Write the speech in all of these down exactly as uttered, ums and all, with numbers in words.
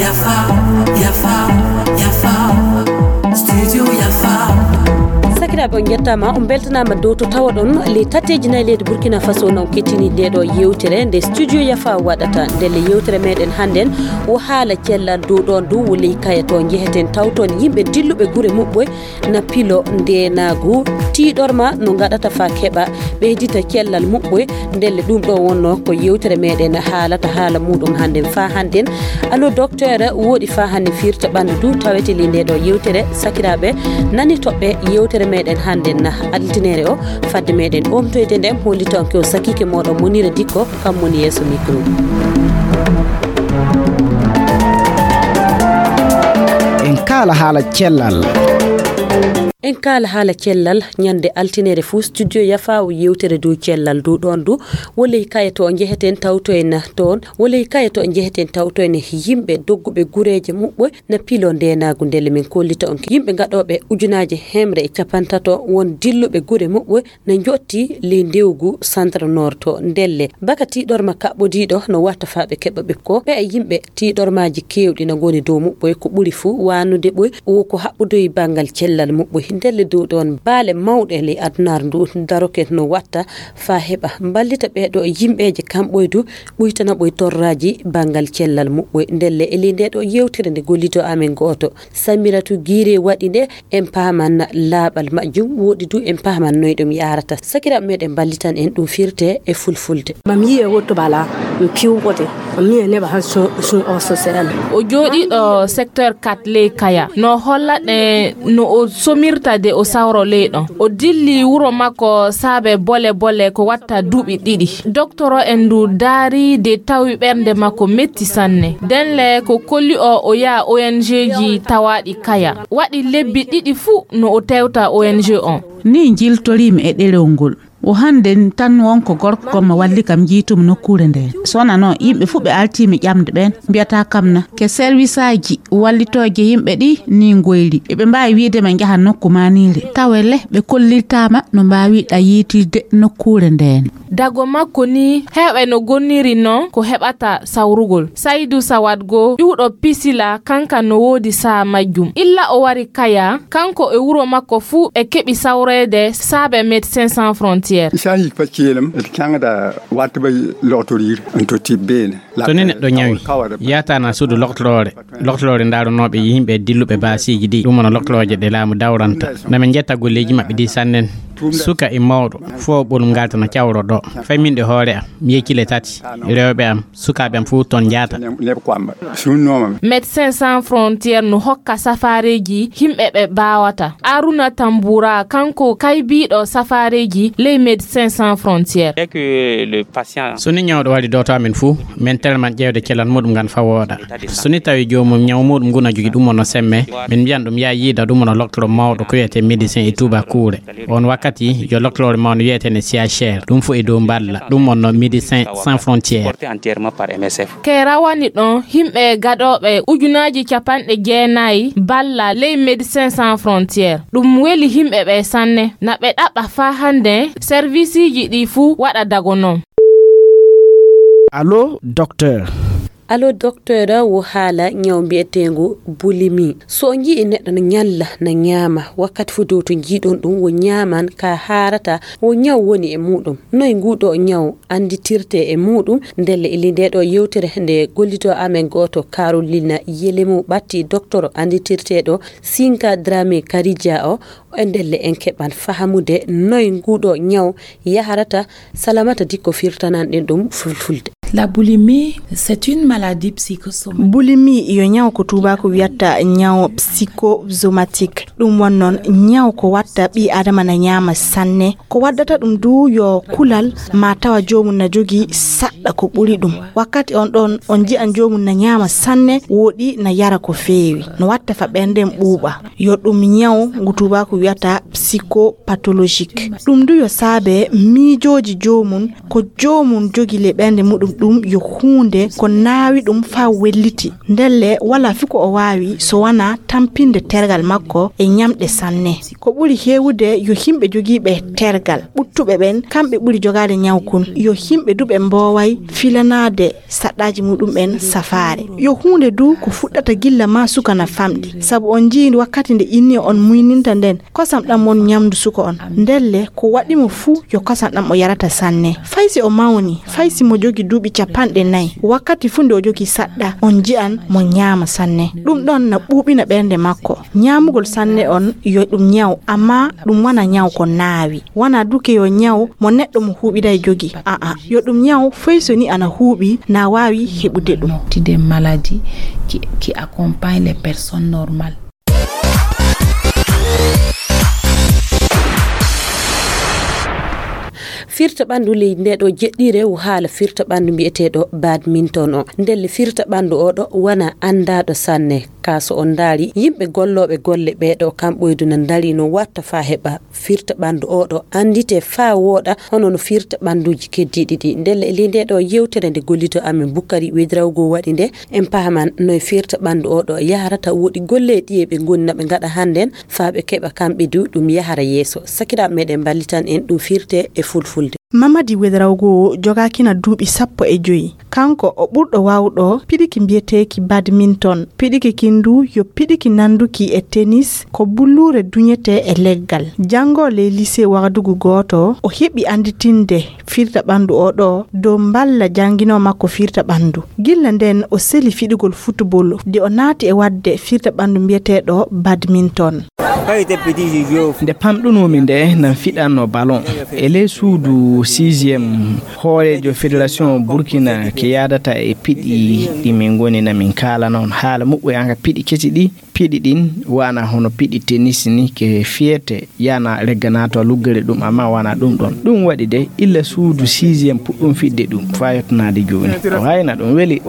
Yafa, yafa, yafa. Studio Yafa. Sakiraaɓe, on njettaama, on mbeltanaama dow to tawaɗon ley tateeji nayi leydi Burkina Faso, non kettini nde ɗo yewtere nde Studio Yafa waɗata. Ndelle yewtere meɗen hannden wo haala cellal dow ɗoon du wo ley kaya to njeheten tawton yimɓe dilluɓe gure muɓɓoy na pilo ndeenaagu, tiiɗorma no ngaɗata faa keɓa ɓeydita cellal muɓɓoy. Ndelle ɗum ɗo wonno ko yewtere meɗen haalata haala muɗum hannden faa hannden. Allo docteur, wooɗi faa hannden firta ɓanndu du tawete ley nde ɗo yewtere. Sakiraaɓe, nani toɓɓe yewtere meɗen hannden na altine o. Fadde meɗen omtoyde nden, hollita on ko sakiike moɗon Monira Dikko, kam woni yeeso micro. En kaala haala cellal. En kaala haala cellal, ñande altine fuu Studio Yafa wo yewtere dow cellal dow ɗoon du, wo ley kaya to njeheten tawtoyen toon, wo ley kaya to njeheten tawtoyen yimɓe dogguɓe gureeje muɓɓoy na pilo ndeenaagu. Ndelle min kollita on yimɓe gaɗooɓe ujunaaje hemre e capantato won dilluɓe gure muɓɓoy na njotti ley ndewgu Centre Nord to. Ndelle baka tiiɗorma kaɓɓodiiɗo no watta faa ɓe keɓa ɓe ko ɓe e yimɓe tiiɗormaaji keewɗi na ngoni dow muɓɓoy, ko ɓuri fuu waanude ɓoy wo ko haɓɓodoyi banngal cellal muɓɓoy. Ndelle dow ɗoon baale mawɗe ley adunaaru ndu daroke no watta faa heɓa mballita ɓee ɗo yimɓeeje kamɓoy du ɓuytana ɓoy torraaji banngal cellal muɓɓoy. Ndelle e ley nde ɗo yewtere nde gollidoo amen gooto Samiratu Giire waɗi nde, en paaman laaɓal majjum, wooɗi du en paaman noy ɗum yaarata. Sakiraaɓe meɗen mballitan en ɗum firte e fulfulde. Mam yiye wotto bala, m piwɓote, mam yiye neɓa han sun, sun o sosel. O jooɗiiɗo secteur quatre ley Kaya. No holla ɗe no o somirta de o sawro ley ɗon. O dilli wuro makko saabe bole bole ko watta duuɓi ɗiɗi. Doktoro en ndu daari de tawi ɓernde makko metti sanne. Denle ko kolli o o yaha O N G ji tawaaɗi Kaya. Waɗi lebbi ɗiɗi fuu no o tewta O N G on. Ni njiltoriimi e ɗerewol ngol. O hannden tan won ko gorko gomma walli kam jiytumi nokkuure ndeen. Sona noon, yimɓe fuu ɓe altiimi ƴamde ɓeen, mbiyata kam na ke serwisaaji wallitooje yimɓe ɗi ni ngoyri. Eɓe mbaawi wiide ma njaha nokku maaniire. Tawe le, ɓe kollirtaama no mbaawiɗa yiytirde nokkuure ndeen. Dago makko ni, heewɓe no gonniri noon ko heɓata sawrugol. Saydu Sawad goo, ƴuwɗo Pisila, kanka no woodi saha majjum. Illa o wari Kaya, kanko e wuro makko fuu ɓe keɓi sawreede saabe Médecins Sans Frontières. Isa hik pa kiyelem, et kanga da wata bai lotorir, en to tibbene. So ni neɗɗo ñawi, yaata na suudu loktoroore. Loktoroore ndaaronooɓe yimɓe dilluɓe baasiiji ɗi, ɗum wona loktorooje ɗe laamu dawranta. Na min njetta golleeji maɓɓe ɗi sannen. Suka e mawɗo, fof ɓolum ngaltana cawro ɗo. Fay min ɗe hoore am, mi yeccile tati. Rewɓe am, sukaaɓe am fof toon njaata. Médecins Sans Frontières no hokka safaareeji yimɓe ɓe mbaawata. Aruna Tambura, kanko kaybiiɗo safaareeji ley Médecins Sans Frontières. So ni ñawɗo wari dooto amen fuu, min telman ƴeewde cellal muɗum ngan faa wooɗa. So ni tawi joomum ñaw muɗum ngun na jogii ɗum wonno semme, min mbiyan ɗum yaa yiida ɗum wonno loktoro mawɗo ko wiyetee médecin e tuubakuure. On wakkati yo loktoroore mawɗo wiyetee ne C H R, ɗum fof e dow mballa, ɗum wonno Médecins Sans Frontières. Ke rawani ɗon yimɓe gaɗooɓe ujunaaji capanɗe jeenayi balla ley Médecins Sans Frontières. Ɗum weli yimɓe ɓe sanne. Na ɓe ɗaɓɓa faa hannde servisiiji ɗi fuu waɗa dago non. Allo, docteur. Allo, docteur, wo haala ñaw mbiyeteengu bulimi. So o njii neɗɗo no ñalla, no ñaama, wakkati fof dow to njiiɗon ɗum, wo ñaaman ka haarata, wo ñaw woni e muɗum. Noy nguɗo ñaw annditirte e muɗum? Ndelle ili nde ɗo yewtere nde gollito amen gooto Carolina Yelemu ɓatti doktoro annditirteɗo Sinka Dramé Karidja o, e ndelle en keɓan fahamude noy nguɗo ñaw yaharata. Salamata Dikko firtanan ɗen ɗum fulfulde. La boulimie, c'est une maladie psychosomatique. Bulimi yo ñaw ko tubaako wiyatta ñaw psychosomatique. Ɗum won noon ñaw ko watta ɓii adama na ñaama sanne. Ko waddata ɗum du yo kulal ma tawa joomum na jogii saɗɗa ko ɓuri ɗum. Wakkati on ɗon on nji'an joomum na ñaama sanne, wooɗi na yara ko feewi. No watta fa ɓerndem ɓuuɓa. Yo ɗum ñaw ngu tubaako wiyata psychopathologique. Ɗum du yo saabe miijooji joomum, ko joomum jogi le ɓernde muɗum ɗum yo huunde ko naawi ɗum faa welliti. Ndelle walaa fii ko o waawi so wanaa tampinde tergal makko e ñamɗe sanne. Ko ɓuri heewude yo yimɓe jogiiɓe tergal ɓuttuɓe ɓen, kamɓe ɓuri jogaade ñaw kun. Yo yimɓe du ɓe mbooway filanaade saɗɗaaji muɗum ɓen safaare. Yo huunde du ko fuɗɗata gilla maa suka na famɗi. Sabu on njii wakkati nde inniya on muyninta nden, kosam ɗam won ñamdu suka on. Ndelle ko waɗi mo fuu yo kosam ɗam o yarata sanne. Fay si o mawni, fay si mo jogi duuɓi capanɗe nayi, wakkati fuu nde o jogi saɗɗa, on nji'an mo ñaama sanne. Ɗum ɗon na ɓuuɓina ɓernde makko. Ñaamugol sanne on yo ɗum ñaw, amma ɗum wona ñaw ko naawi. Wona duke yo ñaw mo neɗɗo mo huuɓiday jogi. Aa, yo ɗum ñaw fay so ni ana huuɓi na waawi heɓude ɗum. Des maladies qui, qui accompagnent les personnes normales. Firta ɓanndu leydi nde ɗo jeɗɗi rewu haala firta ɓanndu mbiyeteeɗo badminton o. Ndelle firta ɓanndu o ɗo wona anndaaɗo sanne. Ka so on ndaari yimɓe gollooɓe golle ɓee ɗo kam ɓoydu na ndaari no watta faa heɓa firta ɓanndu o ɗo anndite faa wooɗa hono no firta ɓannduuji keddiiɗi ɗi. Ndelle e ley nde ɗo yewtere nde gollito amen Bukkari Wedrawgo waɗi nde, en pahaman no e firta ɓanndu o ɗo yaharata, woɗi golle ɗiye ɓe ngoni na ɓe ngaɗa hannden faa ɓe keɓa kamɓe du ɗum yahara yeeso. Sakiraaɓe meɗen mballitan en ɗum firte e fulfulde. Mamadi Wedrawgo jogaakina duuɓi sappo e joyi. Kanko o ɓurɗo waawɗo piɗiki mbiyeteeki badminton. Piɗiki kin du yo piɗiki nannduki e tennis, ko bulluure duñetee e leggal. Janngoo ley lycée Wagadugu gooto, o heɓi annditinde firta ɓanndu o ɗo dow mballa jannginoo makko firta ɓanndu. Gilla nden o seli fiɗugol football, de o naati e waɗde firta ɓanndu mbiyeteeɗo badminton. Nde pamɗunoomi nde, nan fiɗanno ballon. E ley suudu sixième, hooreejo fédération Burkina ke yaadata e piɗi ɗi min ngoni na min kaala noon haala muɓɓoy an ka piɗi kesi ɗi. Piɗi ɗin wana hono piɗi tennis ni ke fiyete yana legganato luggere ɗum amma wana ɗum ɗon. Ɗum waɗi de illa suudu sixième puɗɗum fidde ɗum faa yottanaade jooni. O hayna ɗum weli.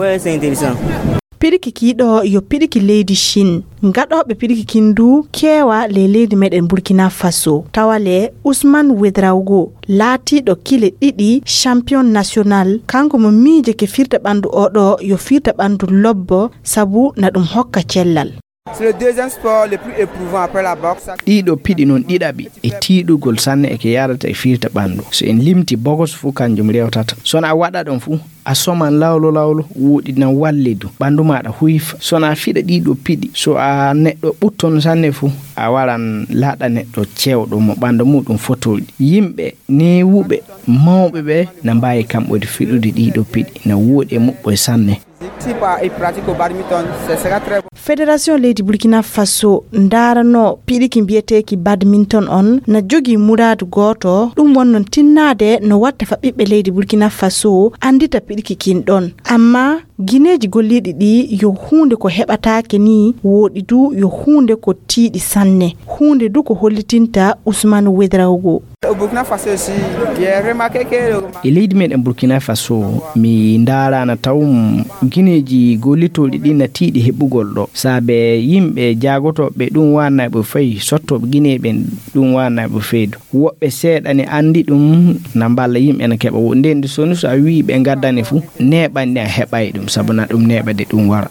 Piɗiki kiiɗo yo piɗiki leydi Chine. Gaɗooɓe piɗiki kin du keewa ley leydi meɗen Burkina Faso. Tawa le Ousmane Ouedraogo, laatiiɗo kile ɗiɗi champion national, kanko mo miije ke firta ɓanndu o ɗo yo firta ɓanndu lobbo, sabu na ɗum hokka cellal. C'est le deuxième sport le plus éprouvant après la boxe. Ɗiɗo piɗi noon ɗiɗaɓi e tiiɗugol sanne e ke yaadata e firta ɓanndu. So en limti bogos fuu kanjum rewtata. So na a waɗa ɗon fuu, a soman lawlo lawlo, woɗi na wallidu ɓanndu maɗa huyfa. So na a fiɗa ɗiɗo piɗi, so a neɗɗo ɓutton sanne fuu, a waran laaɗa neɗɗo cewɗo mo ɓanndu muɗum fotoɗi. Yimɓe neewuɓe, mawɓe ɓe na mbaawi kamɓe fiɗude ɗiɗo piɗi, na woɗi e muɓɓoy sanne. Si pa-, il pratique au badminton, ce sera très bon. Fédération leydi Burkina Faso ndaarano piɗiki mbiyeteeki badminton on na jogii muraadu gooto, ɗum won noon tinnaade no watta fa ɓiɓɓe leydi Burkina Faso anndita piɗiki kin ɗon. Amma gineeji golliiɗi ɗi yo huunde ko heɓataake ni woɗi du yo huunde ko tiiɗi sanne. Huunde du ko hollitinta Ousmane Ouedraogo. Au Burkina Faso aussi, j'ai remarqué que le E leydi meɗen Burkina Faso, mi ndaarana taw gineeji gollitooɗi ɗi na tiiɗi heɓugol ɗo. Saabe yimɓe jaagotooɓe ɗum waanay ɓe fay, sottooɓe gineeɓe ɓen ɗum waanay ɓe faydu. Woɓɓe seeɗa ne anndi ɗum na mballa yimɓe na keɓa. Wo-, nden so, so a wii ɓe ngaddane fu, neeɓan ɗi a heɓay ɗum, sabu na ɗum neeɓa de ɗum wara.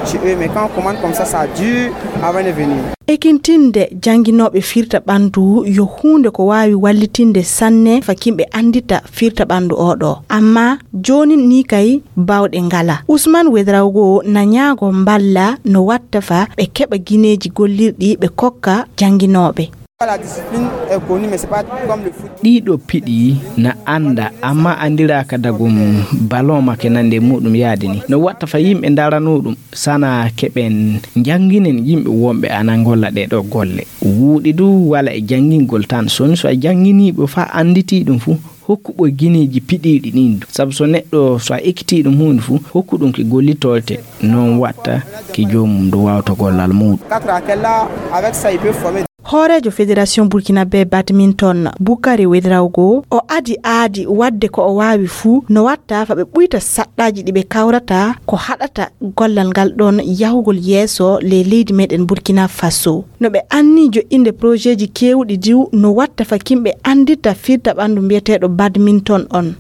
Chez eux, mais quand on commande comme ça, ça dure avant de venir. Ekintinde jannginooɓe firta ɓanndu yo huunde ko waawi wallitinde sanne fa kimɓe anndita firta ɓanndu oo ɗoo. Amma jooni ni kay baawɗe ngala. Ousmane Ouedraogo na ñaago mballa no watta fa ɓe keɓa gineeji gollirɗi ɓe kokka jannginooɓe. La discipline est connue, mais c'est pas comme le foot. Ɗiɗo piɗi na annda, amma anndiraaka dagum ballon make nande muɗum yaade ni. No watta fa yimɓe ndarano ɗum, sana keɓen njannginen yimɓe wonɓe ana ngolla ɗee ɗoo golle. Wuuɗi du wala e janngingol tan. Soni so a jannginiiɓe fa annditi ɗum fu, hokku ɓoy gineeji piɗiiɗi ɗin du. Sabu so neɗɗo, so a ekkitii ɗum huunde fu, hokku ɗum ki gollitoyte, non watta ki joomum du waawta gollal muuɗum. Quatre à quelle là, avec ça, il peut former. Hooreejo Fédération Burkinabé Badminton, Bukari Ouedraogo, o adi aadi waɗde ko o waawi fuu no watta fa ɓe ɓuyta saɗɗaaji ɗi ɓe kawrata ko haɗata gollal ngal ɗon yahugol yeeso ley leydi meɗen Burkina Faso. No ɓe anni joɗɗinde projetji keewɗi diw no watta fa kimɓe anndita firta ɓanndu mbiyeteeɗo badminton on.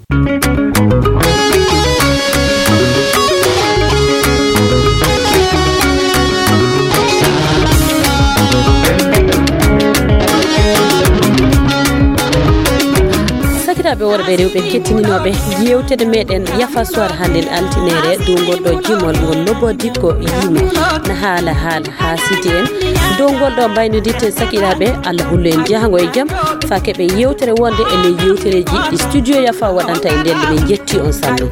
Sakiraaɓe worɓe e rewɓe kettininooɓe yewtere meɗen Yafa Soir hannden altinere dow ngol ɗo jimol ngol Lobo Dikko yimi na haala haala haa siti en dow ngol ɗo mbaynodirten sakiraaɓe. Allah hullu en jahango e jam faa keɓe yewtere wonde e ley yewtereeji ɗi studio Yafa waɗanta e nden. Min njetti on sanne.